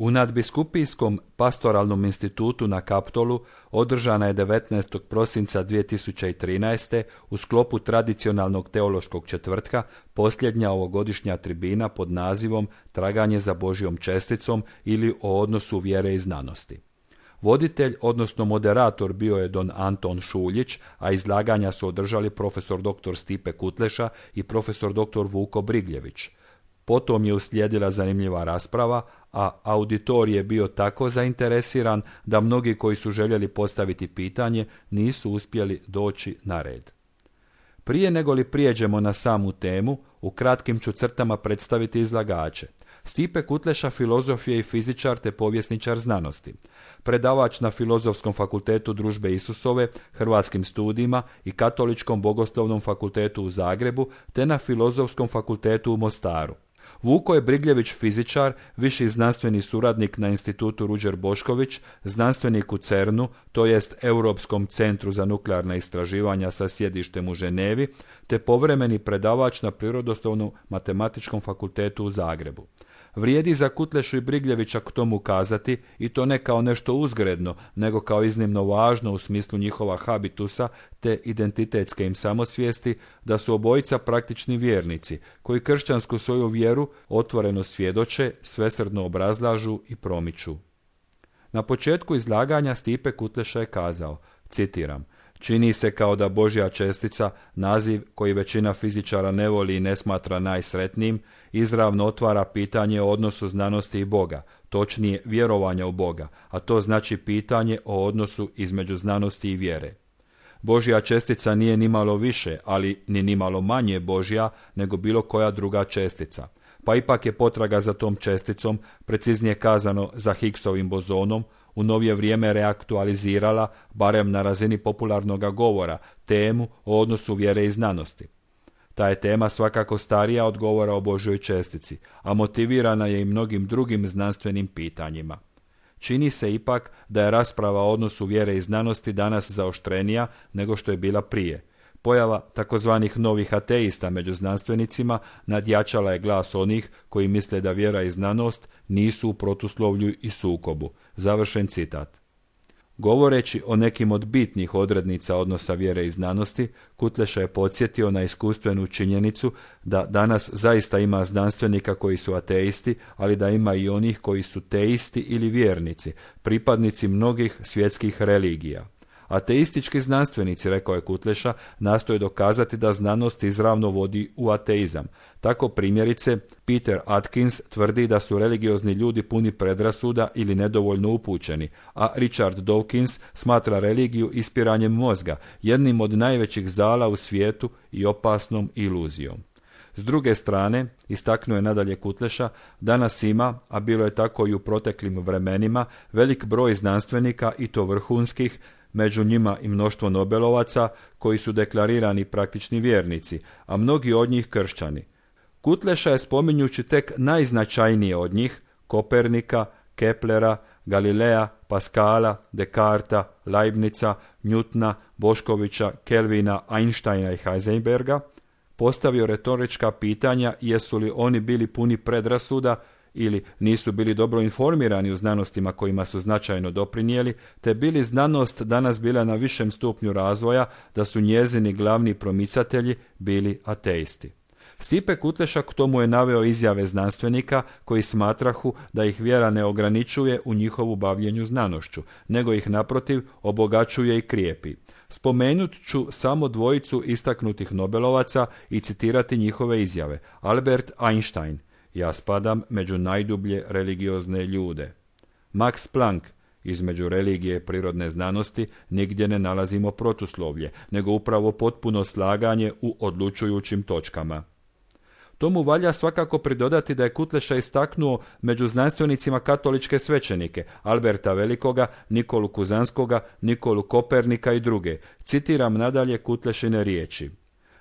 U nadbiskupijskom pastoralnom institutu na Kaptolu održana je 19. prosinca 2013. u sklopu tradicionalnog teološkog četvrtka posljednja ovogodišnja tribina pod nazivom Traganje za Božjom česticom ili o odnosu vjere i znanosti. Voditelj, odnosno moderator, bio je don Anton Šuljić, a izlaganja su održali profesor dr. Stipe Kutleša i profesor dr. Vuko Brigljević. Potom je uslijedila zanimljiva rasprava, a auditorij je bio tako zainteresiran da mnogi koji su željeli postaviti pitanje nisu uspjeli doći na red. Prije nego li prijeđemo na samu temu, u kratkim ću crtama predstaviti izlagače. Stipe Kutleša filozof je i fizičar te povjesničar znanosti. Predavač na Filozofskom fakultetu Družbe Isusove, Hrvatskim studijima i Katoličkom bogoslovnom fakultetu u Zagrebu te na Filozofskom fakultetu u Mostaru. Vuko je Brigljević fizičar, viši znanstveni suradnik na institutu Ruđer Bošković, znanstvenik u CERN-u, to jest Europskom centru za nuklearna istraživanja sa sjedištem u Ženevi, te povremeni predavač na Prirodoslovnom matematičkom fakultetu u Zagrebu. Vrijedi za Kutlešu i Brigljevića k tomu kazati, i to ne kao nešto uzgredno, nego kao iznimno važno u smislu njihova habitusa te identitetske im samosvijesti, da su obojica praktični vjernici, koji kršćansku svoju vjeru otvoreno svjedoče, svesrdno obrazlažu i promiču. Na početku izlaganja Stipe Kutleša je kazao, citiram: "Čini se kao da Božja čestica, naziv koji većina fizičara ne voli i ne smatra najsretnijim, izravno otvara pitanje o odnosu znanosti i Boga, točnije vjerovanja u Boga, a to znači pitanje o odnosu između znanosti i vjere. Božja čestica nije nimalo više, ali ni nimalo manje Božja nego bilo koja druga čestica. Pa ipak je potraga za tom česticom, preciznije kazano za Higgsovim bozonom, u novije vrijeme reaktualizirala, barem na razini popularnog govora, temu o odnosu vjere i znanosti. Ta je tema svakako starija od govora o Božjoj čestici, a motivirana je i mnogim drugim znanstvenim pitanjima. Čini se ipak da je rasprava o odnosu vjere i znanosti danas zaoštrenija nego što je bila prije. Pojava takozvanih novih ateista među znanstvenicima nadjačala je glas onih koji misle da vjera i znanost nisu u protuslovlju i sukobu." Završen citat. Govoreći o nekim od bitnih odrednica odnosa vjere i znanosti, Kutleša je podsjetio na iskustvenu činjenicu da danas zaista ima znanstvenika koji su ateisti, ali da ima i onih koji su teisti ili vjernici, pripadnici mnogih svjetskih religija. Ateistički znanstvenici, rekao je Kutleša, nastoje dokazati da znanost izravno vodi u ateizam. Tako primjerice, Peter Atkins tvrdi da su religiozni ljudi puni predrasuda ili nedovoljno upućeni, a Richard Dawkins smatra religiju ispiranjem mozga, jednim od najvećih zala u svijetu i opasnom iluzijom. S druge strane, istaknuo je nadalje Kutleša, danas ima, a bilo je tako i u proteklim vremenima, velik broj znanstvenika i to vrhunskih, među njima i mnoštvo Nobelovaca koji su deklarirani praktični vjernici, a mnogi od njih kršćani. Kutleša je, spominjući tek najznačajnije od njih, Kopernika, Keplera, Galileja, Paskala, Descarta, Leibnica, Newtona, Boškovića, Kelvina, Einsteina i Heisenberga, postavio retorička pitanja jesu li oni bili puni predrasuda ili nisu bili dobro informirani u znanostima kojima su značajno doprinijeli, te bili znanost danas bila na višem stupnju razvoja, da su njezini glavni promicatelji bili ateisti. Stipe Kutleša k tomu je naveo izjave znanstvenika koji smatrahu da ih vjera ne ograničuje u njihovu bavljenju znanošću, nego ih naprotiv obogaćuje i krijepi. Spomenut ću samo dvojicu istaknutih Nobelovaca i citirati njihove izjave. Albert Einstein: "Ja spadam među najdublje religiozne ljude." Max Planck: "Između religije i prirodne znanosti nigdje ne nalazimo protuslovlje, nego upravo potpuno slaganje u odlučujućim točkama." Tomu valja svakako pridodati da je Kutleša istaknuo među znanstvenicima katoličke svećenike, Alberta Velikoga, Nikolu Kuzanskoga, Nikolu Kopernika i druge. Citiram nadalje Kutlešine riječi.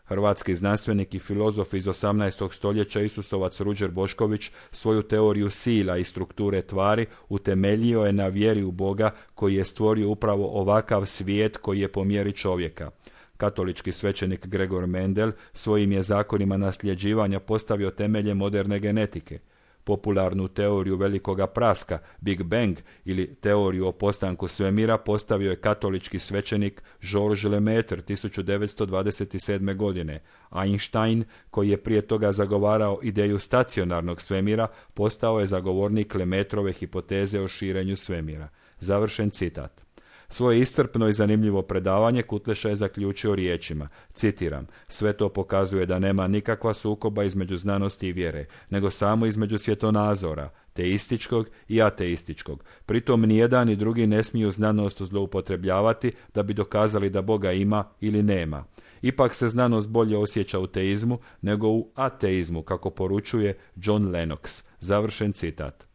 Hrvatski znanstvenik i filozof iz 18. stoljeća Isusovac Ruđer Bošković svoju teoriju sila i strukture tvari utemeljio je na vjeri u Boga koji je stvorio upravo ovakav svijet koji je po mjeri čovjeka. Katolički svećenik Gregor Mendel svojim je zakonima nasljeđivanja postavio temelje moderne genetike. Popularnu teoriju velikoga praska, Big Bang, ili teoriju o postanku svemira postavio je katolički svećenik Georges Lemaitre 1927. godine. Einstein, koji je prije toga zagovarao ideju stacionarnog svemira, postao je zagovornik Lemaitrove hipoteze o širenju svemira. Završen citat. Svoje iscrpno i zanimljivo predavanje Kutleša je zaključio riječima, citiram, sve to pokazuje da nema nikakva sukoba između znanosti i vjere, nego samo između svjetonazora, teističkog i ateističkog. Pritom nijedan ni drugi ne smiju znanost zloupotrebljavati da bi dokazali da Boga ima ili nema. Ipak se znanost bolje osjeća u teizmu nego u ateizmu, kako poručuje John Lennox. Završen citat.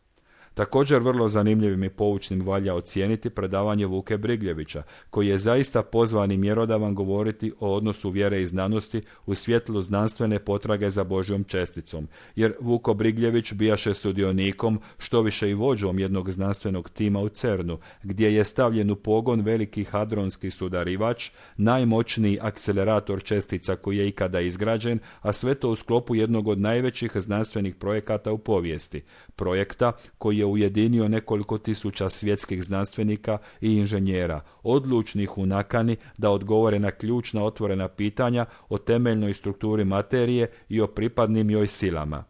Također vrlo zanimljivim i poučnim valja ocijeniti predavanje Vuke Brigljevića, koji je zaista pozvan i mjerodavan govoriti o odnosu vjere i znanosti u svjetlu znanstvene potrage za Božjom česticom, jer Vuko Brigljević bijaše sudionikom, štoviše i vođom jednog znanstvenog tima u CERN-u, gdje je stavljen u pogon veliki hadronski sudarivač, najmoćniji akcelerator čestica koji je ikada izgrađen, a sve to u sklopu jednog od najvećih znanstvenih projekata u povijesti, projekta koji je ujedinio nekoliko tisuća svjetskih znanstvenika i inženjera, odlučnih u nakani da odgovore na ključna otvorena pitanja o temeljnoj strukturi materije i o pripadnim joj silama.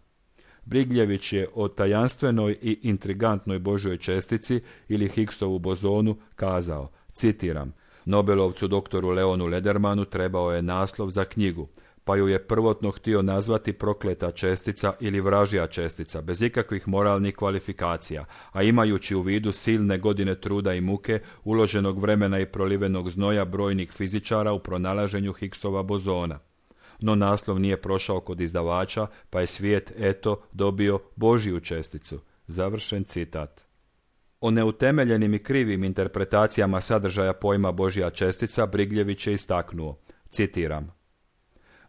Brigljević je o tajanstvenoj i intrigantnoj Božjoj čestici ili Higgsovu bozonu kazao, citiram, Nobelovcu doktoru Leonu Ledermanu trebao je naslov za knjigu, pa ju je prvotno htio nazvati prokleta čestica ili vražja čestica, bez ikakvih moralnih kvalifikacija, a imajući u vidu silne godine truda i muke, uloženog vremena i prolivenog znoja brojnih fizičara u pronalaženju Higgsova bozona. No naslov nije prošao kod izdavača, pa je svijet, eto, dobio Božju česticu. Završen citat. O neutemeljenim i krivim interpretacijama sadržaja pojma Božja čestica Brigljević je istaknuo, citiram,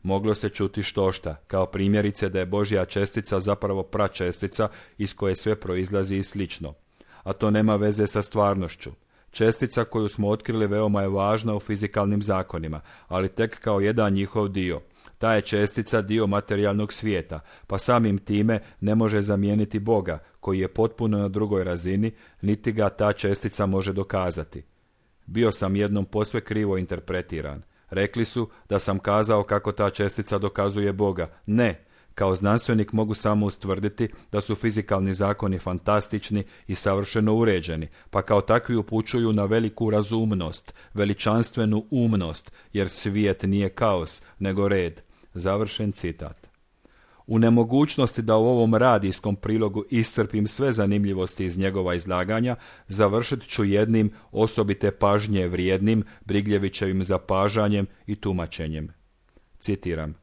moglo se čuti štošta, kao primjerice da je Božja čestica zapravo pračestica iz koje sve proizlazi i slično. A to nema veze sa stvarnošću. Čestica koju smo otkrili veoma je važna u fizikalnim zakonima, ali tek kao jedan njihov dio. Ta je čestica dio materijalnog svijeta, pa samim time ne može zamijeniti Boga, koji je potpuno na drugoj razini, niti ga ta čestica može dokazati. Bio sam jednom posve krivo interpretiran. Rekli su da sam kazao kako ta čestica dokazuje Boga. Ne, kao znanstvenik mogu samo ustvrditi da su fizikalni zakoni fantastični i savršeno uređeni, pa kao takvi upućuju na veliku razumnost, veličanstvenu umnost, jer svijet nije kaos, nego red. Završen citat. U nemogućnosti da u ovom radijskom prilogu iscrpim sve zanimljivosti iz njegova izlaganja, završit ću jednim osobite pažnje vrijednim Brigljevićevim zapažanjem i tumačenjem. Citiram.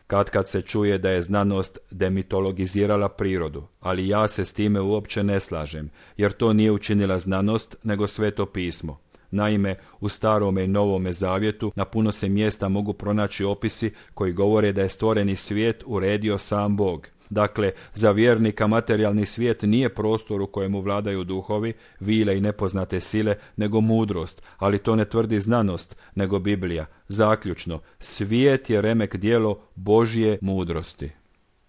Kad se čuje da je znanost demitologizirala prirodu, ali ja se s time uopće ne slažem, jer to nije učinila znanost, nego Sveto pismo. Naime, u Starome i Novome zavjetu na puno se mjesta mogu pronaći opisi koji govore da je stvoreni svijet uredio sam Bog. Dakle, za vjernika materijalni svijet nije prostor u kojemu vladaju duhovi, vile i nepoznate sile, nego mudrost, ali to ne tvrdi znanost, nego Biblija. Zaključno, svijet je remek djelo Božje mudrosti.